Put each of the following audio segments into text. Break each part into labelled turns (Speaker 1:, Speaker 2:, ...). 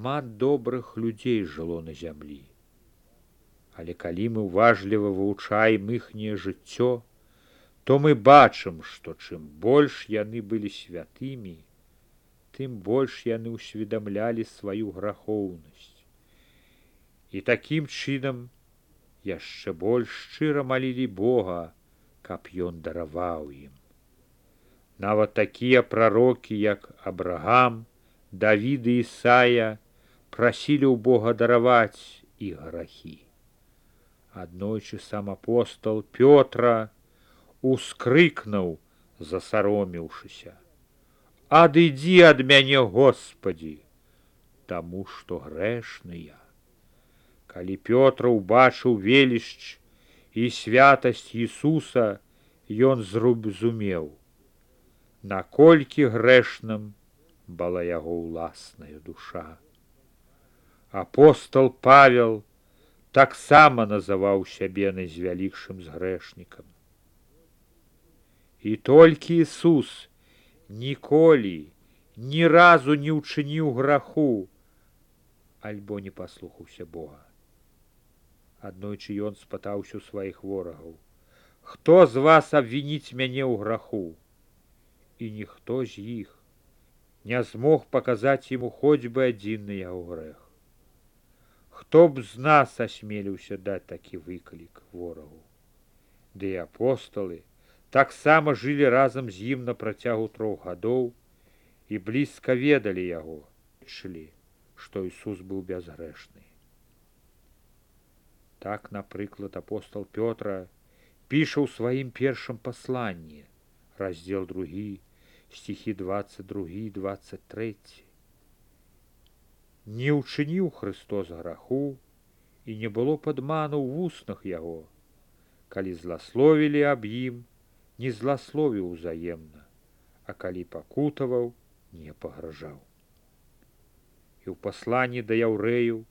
Speaker 1: шмат добрых людзей жыло на зямлі. Але калі мы ўважліва вывучаем іхняе жыццё, то мы бачым, што чым больш яны былі святымі, тым больш яны ўсведамлялі сваю грахоўнасць. І такім чынам яшчэ больш шчыра малілі Бога, каб ён дараваў ім. Нават такія прарокі, як Абрагам, Давід і Ісая, прасілі ў Бога дараваць іх грахі. Аднойчы сам апостол Пётра ускрыкнуў, засаромеўшыся: «Адыдзі ад мяне, Господі, таму што грэшны я». Калі Пётр убачыў велічч і святасць Ісуса, ён зразумеў, наколькі грэшным была яго ўласная душа. Апостол Павел таксама называў сябе найзвялікшым з грэшнікам. І толькі Ісус ніколі, ні разу не ўчыніў граху, альбо не паслухаўся Бога. Аднойчы ён спытаўся ў сваіх ворагаў: «Хто з вас абвініць мяне ў граху?» І ніхто з іх не змог паказаць яму хоць бы адзін на яго грэх. Хто б з нас асмеліўся даць такі выклік ворагу? Ды і апосталы таксама жылі разам з ім на працягу 3 гадоў і блізка ведалі яго, чулі, што Ісус быў бязгрэшны. Так, напрыклад, апостол Пётра піша ў сваім першым пасланні, раздзел 2, стихі 22 і 23. «Не ўчыніў Христос граху, і не было падману ў вуснах яго. Калі зласловілі аб ім, не зласловіў узаемна, а калі пакутаваў, не пагражаў». І ў пасланні да яўрэяў,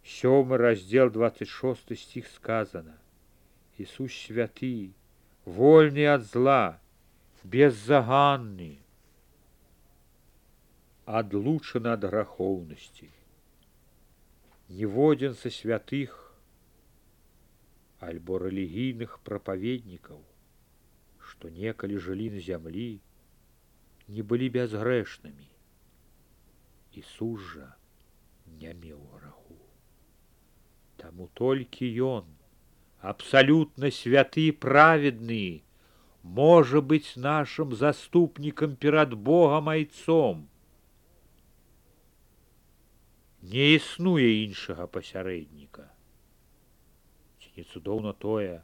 Speaker 1: 7 раздзел 26 стих сказано: «Ісус святы, вольны ад зла, беззаганны, адлучаны ад грахоўнасці. Ніводзін са святых альбо рэлігійных прапаведнікаў, што некалі жылі на зямлі, не былі бязгрэшнымі. Ісус жа не меў граху. Таму толькі ён, абсалютна святы і праведны, можа быць нашым заступнікам перад Богам Айцом. Не існуе іншага пасярэдніка. Ці не цудоўна тое,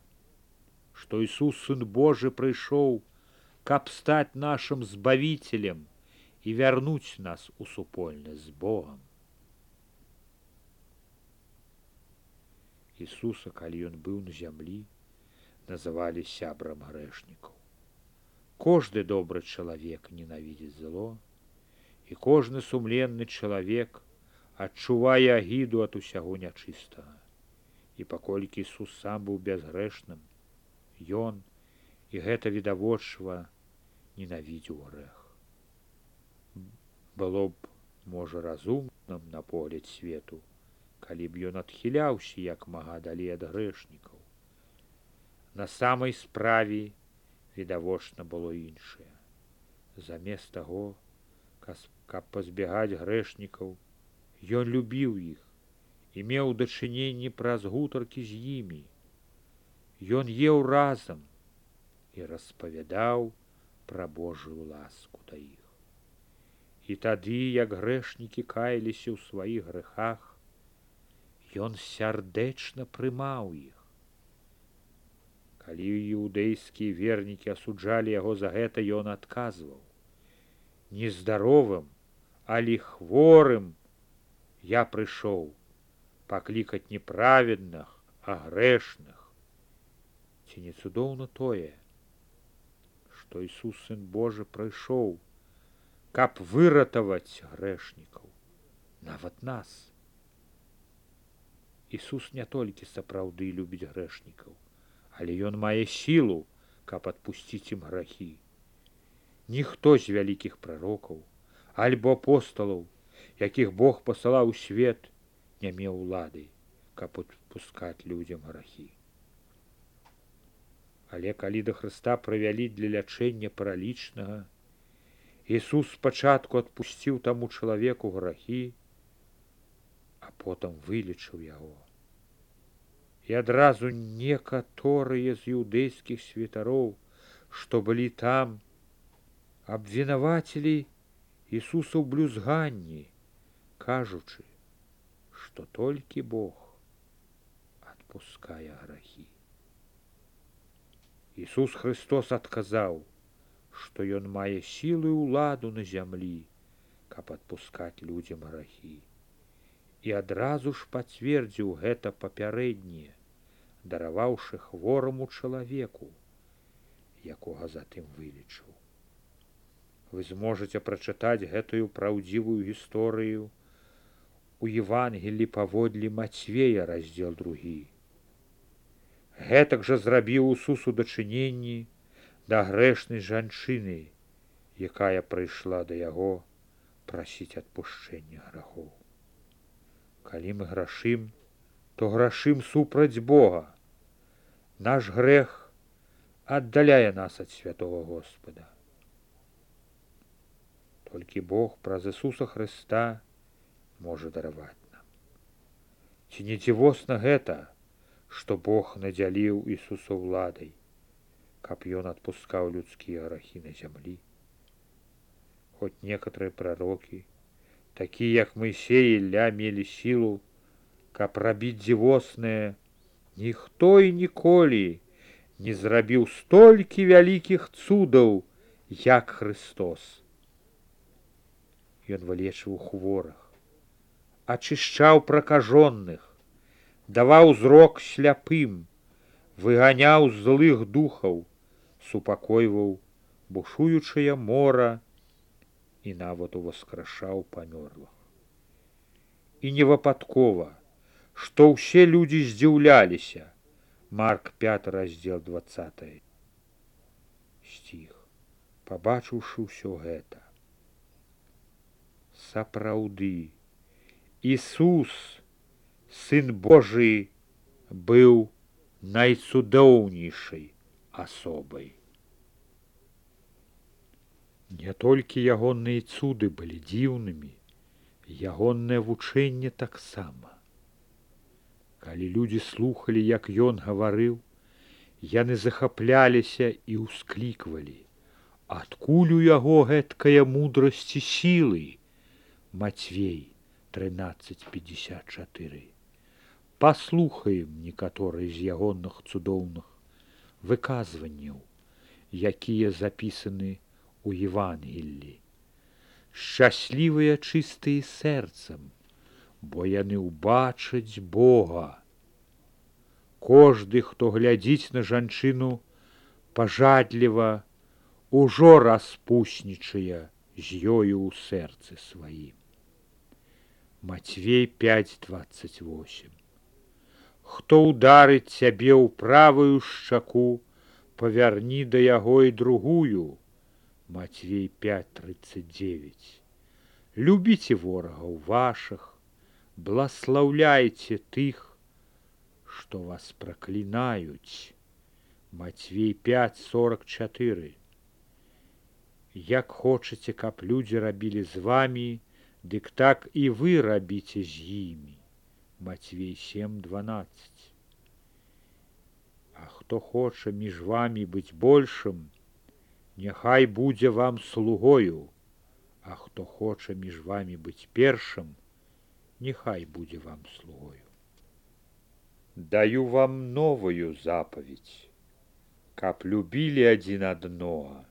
Speaker 1: што Ісус, Сын Божы, прыйшоў, каб стаць нашым збавіцелем і вярнуць нас у супольнасць з Богам. Ісуса, калі ён быў на зямлі, называлі сябрам грэшнікаў. Кожны добры чалавек ненавідзіць зло, і кожны сумленны чалавек адчувае агіду ад усяго нячыстага. І паколькі Ісус сам быў бязгрэшным, ён, і гэта відавочва, ненавідзеў грэх. Было б, можа, разумным на погляд свету, калі б ён адхіляўся як мага далей ад грэшнікаў. На самай справе відавочна было іншае. Замест таго, каб пазбягаць грэшнікаў, ён любіў іх і меў дачыненні праз гутаркі з імі. Ён еў разам і распавядаў пра Божую ласку да іх. І тады, як грэшнікі каяліся ў сваіх грэхах, ён сардэчна прымаў іх. Калі іўдэйскія вернікі асуджалі яго за гэта, ён адказваў: «Не здаровым, але хворым я прыйшоў паклікаць не праведных, а грэшных». Ці не цудоўна тое, што Ісус, Сын Божы, прыйшоў, каб выратаваць грэшнікаў, нават нас. Ісус не толькі сапраўды любіць грэшнікаў, але ён мае сілу, каб адпусціць ім грахі. Ніхто з вялікіх прарокаў альбо апосталаў якіх Бог пасылаў у свет, не меў улады, каб адпускаць людзям грахі. Але калі да Хрыста прывялі для лячэння паралічнага, Ісус спачатку адпусціў таму чалавеку грахі, а потым вылечыў яго. І адразу некаторыя з іўдэйскіх святароў, што былі там, абвінавацілі Ісуса ў блюзганні, кажучы, што толькі Бог адпускае грахі. Ісус Христос адказаў, што ён мае сілу і ўладу на зямлі, каб адпускаць людзям грахі. І адразу ж пацвердзіў гэта папярэдняе, дараваўшы хвораму чалавеку, якога затым вылечыў. Вы зможаце прачытаць гэтую праўдзівую гісторыю у Евангелі паводле Мацвея, раздзел 2. Гэтак жа зрабіў Ісус у дачыненні да грэшнай жанчыны, якая прыйшла да яго прасіць адпушчэння грахоў. Калі мы грашым, то грашым супраць Бога. Наш грэх аддаляе нас ад святого Господа. Толькі Бог праз Ісуса Хрыста можа дараваць нам. Ці не дзівосна гэта, што Бог надзяліў Ісуса ўладай, каб ён адпускаў людскія грахі на зямлі? Хоць некаторыя прарокі, такія як Моисей і Ілля, мелі сілу, каб рабіць дзівоснае, ніхто і ніколі не зрабіў столькі вялікіх цудаў, як Христос. Ён вылечыў хворых, ачышчаў пракажоных, даваў зрок сляпым, выганяў злых духаў, супакойваў бушуючае мора і нават уваскрашаў памёрлых. І не выпадкова, што ўсе людзі здзіўляліся. Марк 5, раздзел 20 стих. Пабачыўшы ўсё гэта, сапраўды, Ісус, Сын Божий, быў найцудоўнейшай асобай. Не толькі ягоныя цуды былі дзіўнымі, ягонае вучэнне таксама. Калі людзі слухалі, як ён гаварыў, яны захапляліся і ўскліквалі: адкуль у яго гэткая мудрасць і сілы? Мацвей 13:54. Паслухаем некаторыя з ягоных цудоўных выказванняў, якія запісаны у Евангеллі. Шчаслівыя чыстыя сэрцам, бо яны ўбачаць Бога. Кожны, хто глядзіць на жанчыну пажадліва, ужо распуснічае з ёю ў сэрцы сваім. Мацвей 5:28. Хто ударыць цябе ў правую шчаку, павярні да яго і другую. Мацвей 5:39. Любіце ворагаў вашых, бласлаўляйце тых, што вас праклінаюць. Мацвей 5:44. Як хочаце, каб людзі рабілі з вамі, дык так і вы рабіце з імі. Мацвей 7:12. А хто хоча між вамі быць большым, няхай будзе вам слугою, а хто хоча між вамі быць першым, няхай будзе вам слугою. Даю вам новую запаведь, каб любілі адзін аднога,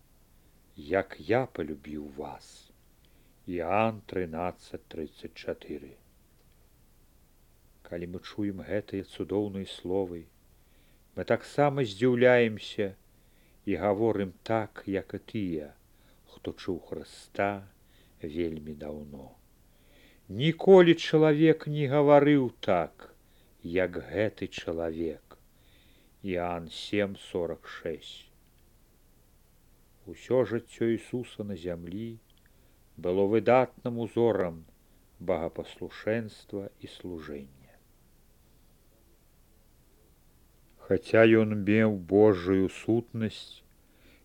Speaker 1: як я полюбіў вас. Іоанн 13:34. Калі мы чуем гэтыя цудоўныя словы, мы таксама здзіўляемся і гаворым так, як і тыя, хто чуў Хрыста вельмі даўно. Ніколі чалавек не гаварыў так, як гэты чалавек. Іоанн 7:46. Усё жыццё Ісуса на зямлі было выдатным узорам богапаслушэнства і служэння. Хаця ён меў Божую сутнасць,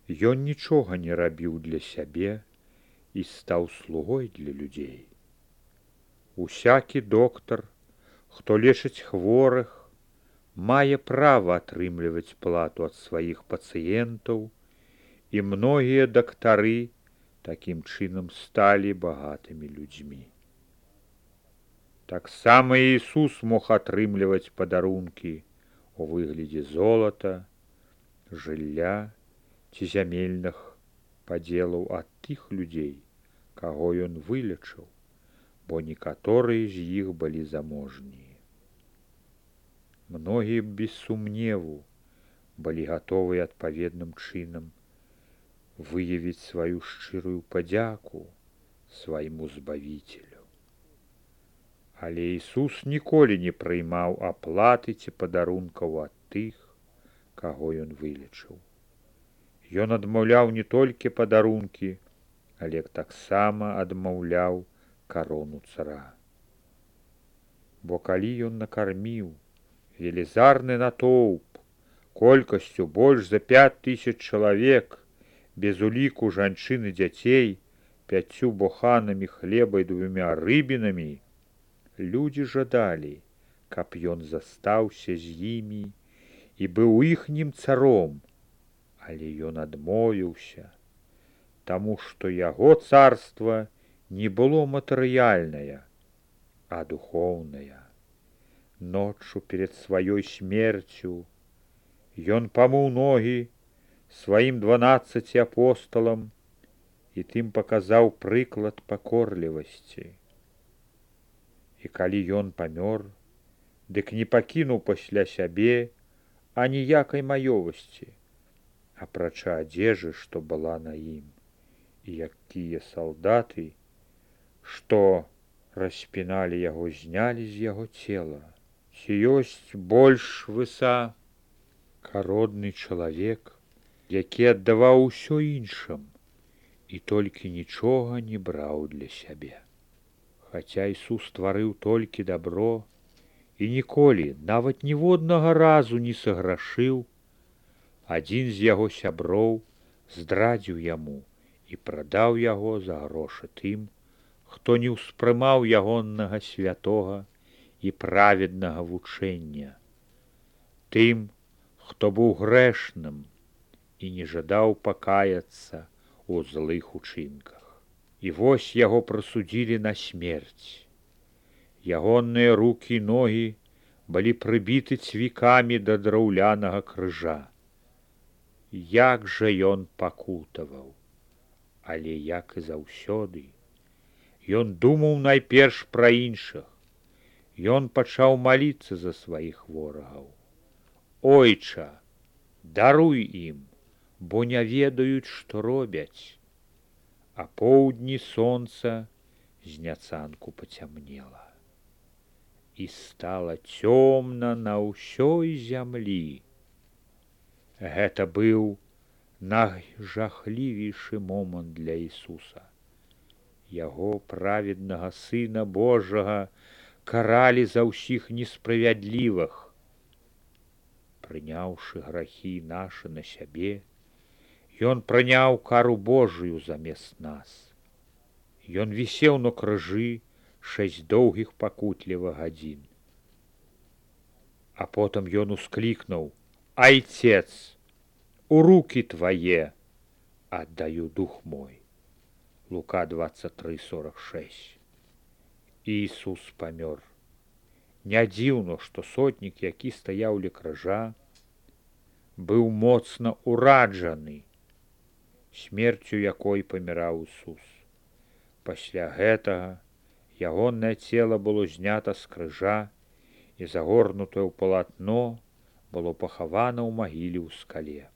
Speaker 1: ён нічога не рабіў для сябе і стаў слугой для людзей. Усякі доктар, хто лечыць хворых, мае права атрымліваць плату ад сваіх пацыентаў, і многія дактары такім чынам сталі багатымі людзьмі. Таксама Ісус мог атрымліваць падарункі у выглядзе золата, жылля ці зямельных падзелаў ад тых людзей, каго ён вылечыў, бо некаторыя з іх былі заможнія. Многія без сумневу былі гатовыя адпаведным чынам выявіць сваю шчырую падзяку свайму збавіцелю. Але Ісус ніколі не прыймаў аплаты ці падарункаў ад тых, каго ён вылечыў. Ён адмаўляў не толькі падарункі, але таксама адмаўляў карону цара. Бо калі ён накарміў велізарны натоўп колькасцю больш за 5000 чалавек, без уліку жанчын і дзяцей, 5 буханамі хлеба і 2 рыбінамі, людзі жадалі, каб ён застаўся з імі і быў іхнім царом, але ён адмовіўся, таму што яго царства не было матэрыяльнае, а духоўнае. Ноччу перед сваёй смерцю ён памыў ногі сваім 12 апосталам і тым паказаў прыклад пакорлівасці. І калі ён памёр, дык не пакінуў пасля сябе аніякай маёмасці, апрача адзежы, што была на ім, і якія салдаты, што распіналі яго, знялі з яго цела. Ці ёсць больш высакародны чалавек, які аддаваў усё іншым і толькі нічога не браў для сябе. Хаця Ісус стварыў толькі дабро і ніколі, нават ніводнага разу не саграшыў, адзін з яго сяброў здрадзіў яму і прадаў яго за грошы тым, хто не ўспрымаў ягоннага святога і праведнага вучэння, тым, хто быў грэшным і не жадаў пакаяцца ў злых учынках. І вось яго прысудзілі на смерць. Ягонныя рукі і ногі былі прыбіты цвікамі да драўлянага крыжа. Як жа ён пакутаваў, але як і заўсёды, ён думаў найперш пра іншых. Ён пачаў маліцца за сваіх ворагаў. Ойча, даруй ім, бо не ведаюць, што робяць. А поўдні сонца зняцанку пацямнела. І стала цёмна на ўсёй зямлі. Гэта быў найжахлівейшы момант для Ісуса. Яго праведнага Сына Божага каралі за ўсіх несправядлівых. Прыняўшы грахі нашы на сябе, ён прыняў кару Божую замест нас. Ён вісеў на крыжы 6 доўгіх пакутлівых гадзін. А потым ён усклікнуў: «Айцец, у рукі твае аддаю дух мой». Лука 23:46. Ісус памёр. Не дзіўна, што сотнік, які стаяў ля крыжа, быў моцна ўраджаны смерцю, якой паміраў Ісус. Пасля гэтага ягонае цела было знята з крыжа і загорнутае ў палатно было пахавана ў магіле ў скале.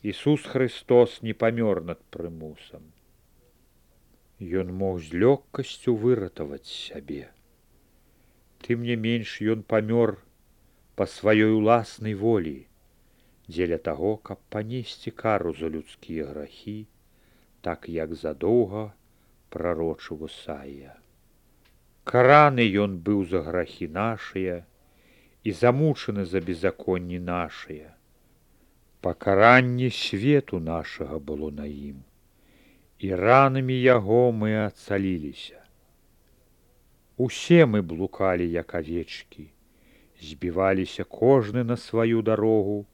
Speaker 1: Ісус Христос не памёр над прымусам. Ён мог з лёгкасцю выратаваць сябе. Тым не менш ён памёр па сваёй уласнай волі, дзеля таго, каб панесці кару за людскія грахі, так як задоўга прарочыў Ісая. Пакараны ён быў за грахі нашыя і замучаны за беззаконні нашыя. Пакаранне свету нашага было на ім, і ранамі яго мы ацаліліся. Усе мы блукалі, як авечкі, збіваліся кожны на сваю дарогу,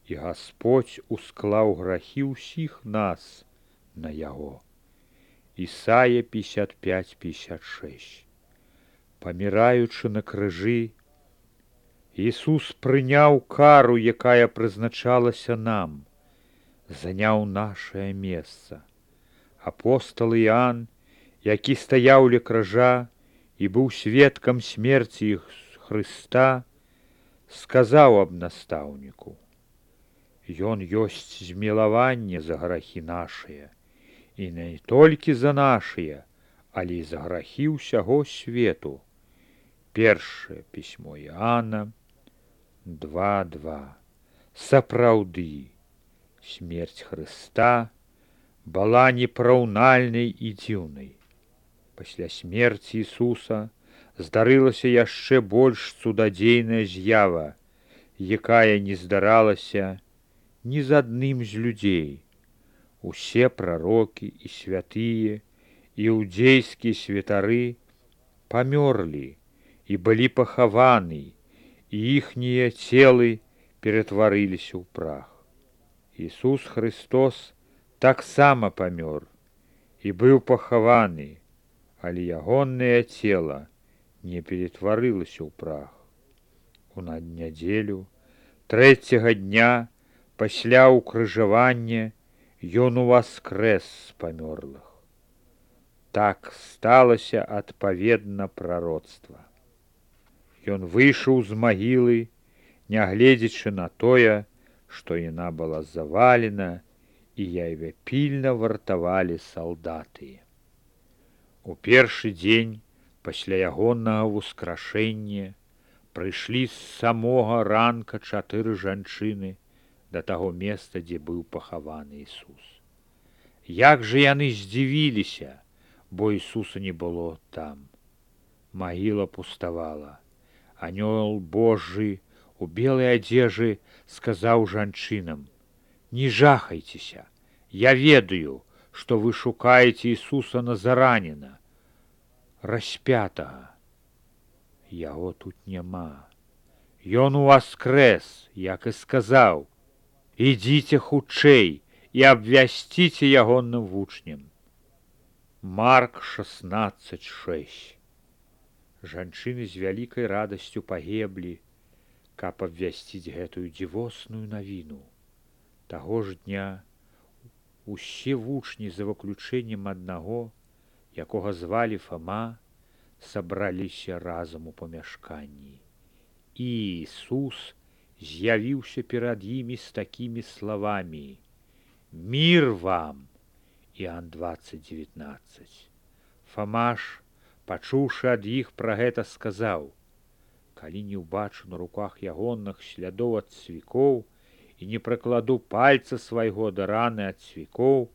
Speaker 1: і Гасподзь усклаў грахі ўсіх нас на яго. Ісая 55:56. Паміраючы на крыжы, Ісус прыняў кару, якая прызначалася нам, заняў нашае месца. Апостал Іоанн, які стаяў ля крыжа і быў сведкам смерці Хрыста, сказаў аб настаўніку: «Ён ёсць змілаванне за грахі нашыя, і не толькі за нашыя, але і за грахі ўсяго свету». Першае пісьмо Іоанна 2:2. Сапраўды, смерць Хрыста была непараўнальнай і дзіўнай. Пасля смерці Ісуса здарылася яшчэ больш цудадзейная з'ява, якая не здаралася ні з адным з людзей. Усе прарокі і святыя, іудзейскія святары памёрлі і былі пахаваны, і іхнія целы ператварыліся ў прах. Ісус Хрыстос таксама памёр і быў пахаваны, але ягонае цела не ператварылася ў прах. У наднядзелю, 3-го дня пасля ўкрыжавання, ён уваскрэс з памёрлых. Так сталася адпаведна прароцтва. Ён выйшаў з магілы, нягледзячы на тое, што яна была завалена, і яе пільна вартавалі салдаты. У першы дзень пасля ягонага ўскрашэння прыйшлі з самога ранка 4 жанчыны да таго месца, дзе быў пахаваны Ісус. Як жа яны здзівіліся, бо Ісуса не было там. Магіла пуставала. Анёл Божы у белай адзежы сказаў жанчынам: «Не жахайцеся, я ведаю, што вы шукаеце Ісуса Назараніна, распятага. Яго тут няма. Ён уваскрэс, як і сказаў. Ідзіце хутчэй і абвясціце ягоным вучням». Марк 16:6. Жанчыны з вялікай радасцю пагеблі, каб абвясціць гэтую дзівосную навіну. Таго ж дня усе вучні, за выключэннем аднаго, якога звалі Фама, сабраліся разам у памяшканні. І Ісус з'явіўся перад імі з такімі словамі: «Мір вам!» Іоанн 20:19. Фама ж, пачуўшы ад іх пра гэта, сказаў: «Калі не ўбачу на руках ягоных слядоў ад цвікоў і не прыкладу пальца свайго да раны ад цвікоў,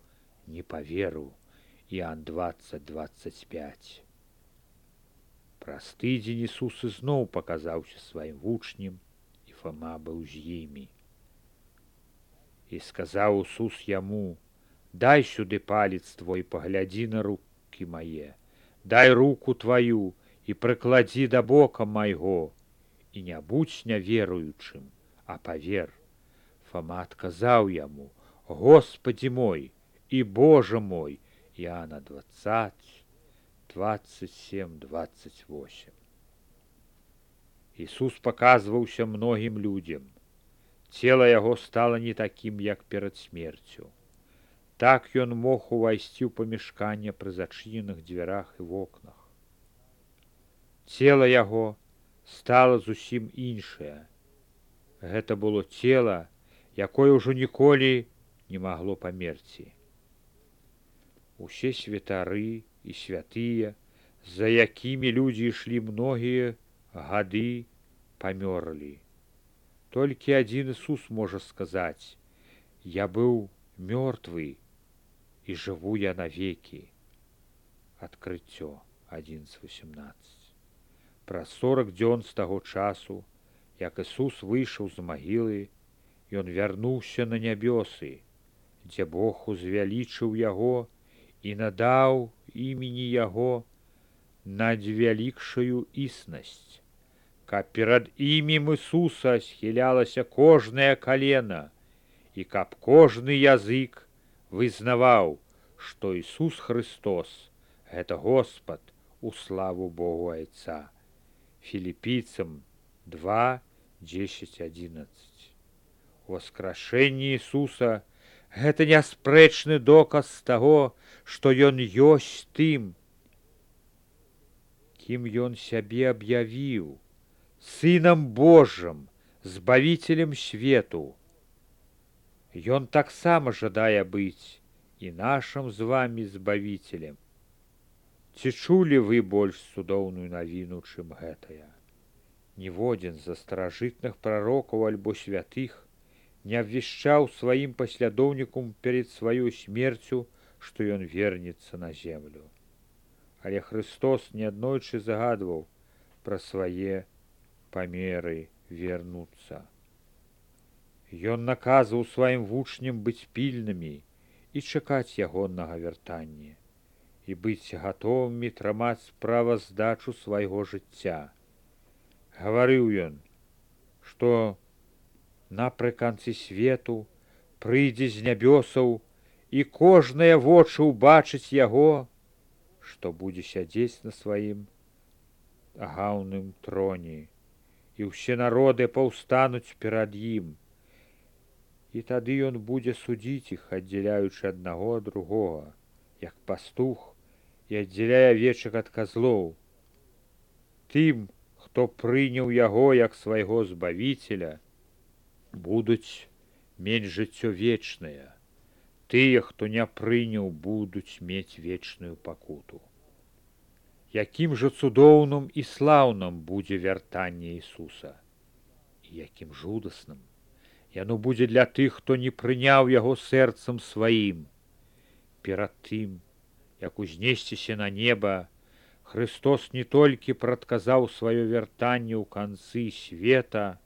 Speaker 1: не паверу». Іоанн 20:25. Праз тыдзень Ісус ізноў паказаўся сваім вучням, і Фама быў з імі. І сказаў Ісус яму: «Дай сюды палец твой, паглядзі на рукі мае, дай руку тваю і прыкладзі да бока майго, і не будзь няверуючым, а павер». Фама адказаў яму: «Господі мой і Божа мой». Іоанна 20:27-28. Ісус паказваўся многім людзям. Цела яго стала не такім, як перад смерцю. Так ён мог увайсці ў памяшканне пры зачыненых дзвярах і вокнах. Цела яго стала зусім іншае. Гэта было цела, якое ўжо ніколі не магло памерці. Усе святары і святыя, за якімі людзі ішлі многія гады, памёрлі. Толькі адзін Ісус можа сказаць: «Я быў мёртвы, і жыву я навекі». Адкрыццё. 11:18. Праз 40 дзён з таго часу, як Ісус выйшаў з магілы, ён вярнуўся на нябёсы, дзе Бог узвялічыў яго і надаў імені яго надвялікшую існасць, каб перад імем Ісуса схілялася кожнае калена і каб кожны язык вызнаваў, што Ісус Христос — гэта Господ у славу Богу Айца. Філіпійцам 2:10-11. Воскрашэнне Ісуса — гэта няспрэчны доказ таго, што Ён ёсць тым, кім Ён сябе аб'явіў, Сынам Божым, Збавіцелем свету. Ён таксама жадае быць і нашым з вамі Збавіцелем. Ці чулі вы больш цудоўную навіну, чым гэтая? Ніводзін з старажытных прарокаў альбо святых не абвяшчаў сваім паслядоўнікам перад сваёй смерцю, што ён вернецца на землю. Але Христос неаднойчы загадваў пра свае памеры вернуцца. Ён наказваў сваім вучням быць пільнымі і чакаць ягоннага вяртання, і быць гатовымі трымаць справаздачу свайго жыцця. Гаварыў ён, што напрыканцы свету прыйдзе з нябёсаў, і кожнае вочы ўбачыць яго, што будзе сядзець на сваім агаўным троне, і ўсе народы паўстануць перад ім. І тады ён будзе судзіць іх, аддзяляючы аднаго ад другога, як пастух і аддзяляе авечак ад казлоў. Тым, хто прыняў яго як свайго Збавіцеля, будуць мець жыццё вечнае. Тыя, хто не прыняў, будуць мець вечную пакуту. Якім жа цудоўным і слаўным будзе вяртанне Ісуса, і якім жудасным. Яно будзе для тых, хто не прыняў яго сэрцам сваім. Перад тым, як узнесціся на неба, Христос не толькі прадказаў сваё вяртанне ў канцы света,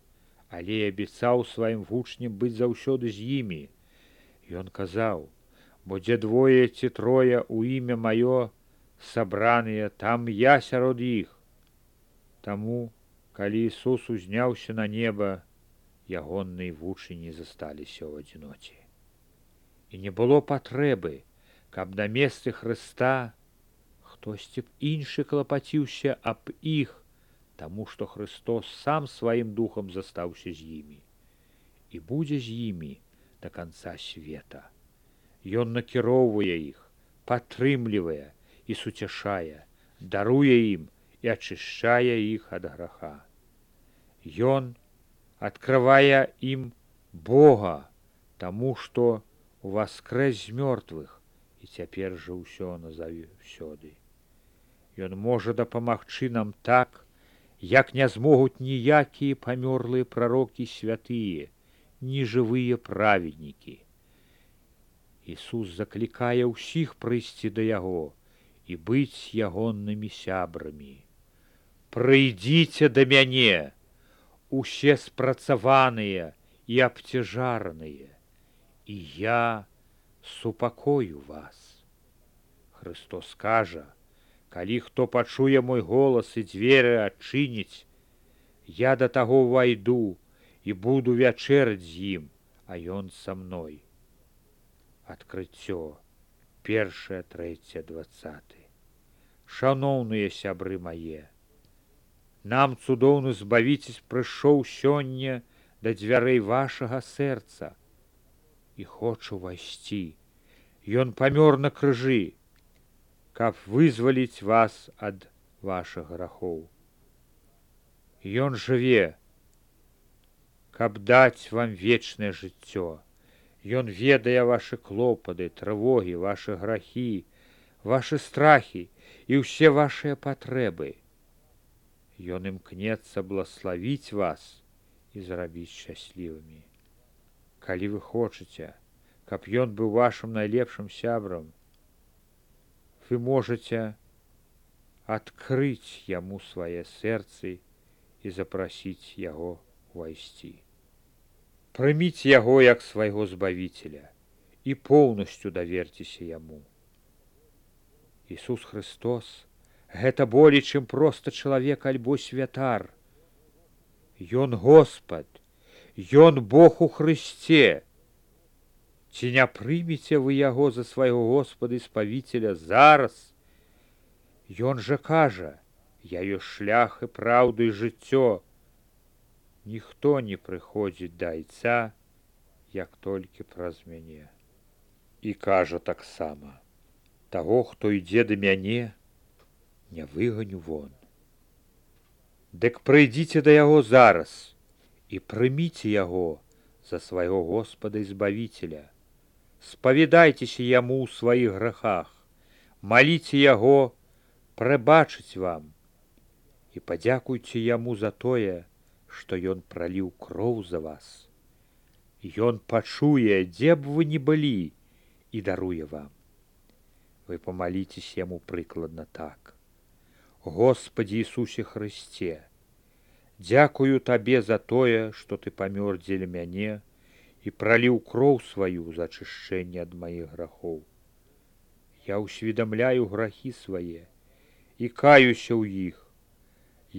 Speaker 1: але і абяцаў сваім вучням быць заўсёды з імі. Ён казаў: «Бо дзе двое ці трое ў імя маё сабраныя, там я сярод іх». Таму, калі Ісус узняўся на неба, ягоныя вучні засталіся ў адзіноце. І не было патрэбы, каб на месцы Хрыста хтосьці б іншы клапаціўся аб іх, таму што Христос сам сваім духам застаўся з імі і будзе з імі да канца света. Ён накіроўвае іх, падтрымлівае і суцяшае, даруе ім і ачышчае іх ад граха. Ён адкрывае ім Бога, таму што уваскрэс з мёртвых і цяпер жа ўсё назаўсёды. Ён можа дапамагчы нам так, як не змогуць ніякія памёрлыя прарокі святыя, ні жывыя праведнікі. Ісус заклікае ўсіх прыйсці да яго і быць ягоннымі сябрамі. «Прыйдзіце да мяне, усе спрацаваныя і абцяжараныя, і я супакою вас». Христос кажа: «Калі хто пачуе мой голас і дзверы адчыніць, я да таго ўвайду і буду вячэраць з ім, а ён са мной». Адкрыццё 1, 3, 20. Шаноўныя сябры мае, нам цудоўны Збавіцель прыйшоў сёння да дзвярэй вашага сэрца і хоча ўвайсці. Ён памёр на крыжы, каб вызваліць вас ад вашых грахоў. Ён жыве, каб даць вам вечнае жыццё. Ён ведае вашы клопаты, трывогі, вашы грахі, вашы страхі і ўсе вашыя патрэбы. Ён імкнецца блаславіць вас і зрабіць шчаслівымі. Калі вы хочаце, каб ён быў вашым найлепшым сябрам, вы можаце открыть яму свае сэрцы і запрасіць яго увайсці. Прыміць яго як свайго збавіцеля і поўнасцю даверцеся яму. Ісус Христос — гэта болей, чым проста чалавек альбо святар. Ён Господ, ён Бог у Христе. Ці не прымеце вы яго за свайго Господа і спавіцеля зараз? Ён жа кажа: я ёсць шлях і праўда і жыццё. Ніхто не прыходзіць да Айца, як толькі праз мяне. І кажа таксама: таго, хто ідзе да мяне, не выганю вон. Дык прыйдзіце да яго зараз і прыміце яго за свайго Господа і збавіцеля. Спавядайцеся яму ў сваіх грахах, маліце яго прабачыць вам і падзякуйце яму за тое, што ён праліў кроў за вас. Ён пачуе, дзе б вы ні былі, і даруе вам. Вы памаліцеся яму прыкладна так: Господі Ісусе Христе, дзякую табе за тое, што ты памёр дзеля мяне і праліў кроў сваю за ачышчэнне ад маіх грахоў. Я ўсведамляю грахі свае і каюся ў іх.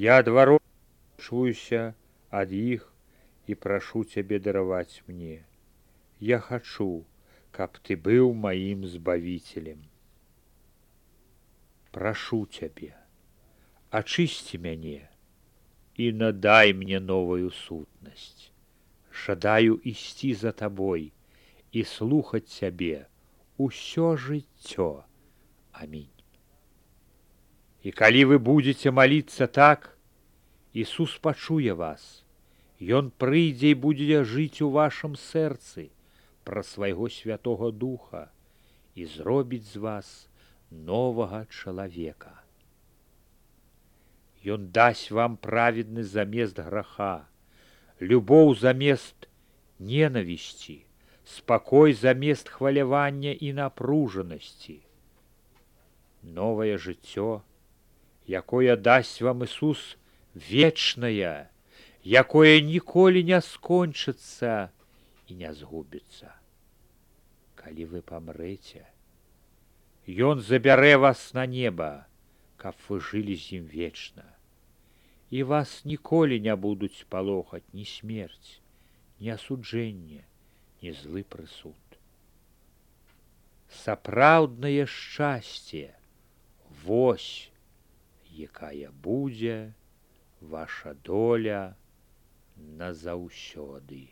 Speaker 1: Я адварочваюся ад іх і прашу цябе дараваць мне. Я хачу, каб ты быў маім збавіцелем. Прашу цябе, ачысці мяне і надай мне новую сутнасць. Жадаю ісці за табой і слухаць цябе ўсё жыццё. Амінь. І калі вы будзеце маліцца так, Ісус пачуе вас. Ён прыйдзе і будзе жыць у вашым сэрцы праз свайго Святога Духа і зробіць з вас новага чалавека. Ён дасць вам праведны замест граха, любоў замест ненавісці, спакой замест хвалявання і напружанасці. Новае жыццё, якое дасць вам Ісус, вечнае, якое ніколі не скончыцца і не згубіцца. Калі вы памрэце, Ён забярэ вас на неба, каб вы жылі з ім вечна. І вас ніколі не будуць палохаць ні смерць, ні асуджэнне, ні злы прысуд. Сапраўднае шчасце — вось якая будзе ваша доля назаўсёды.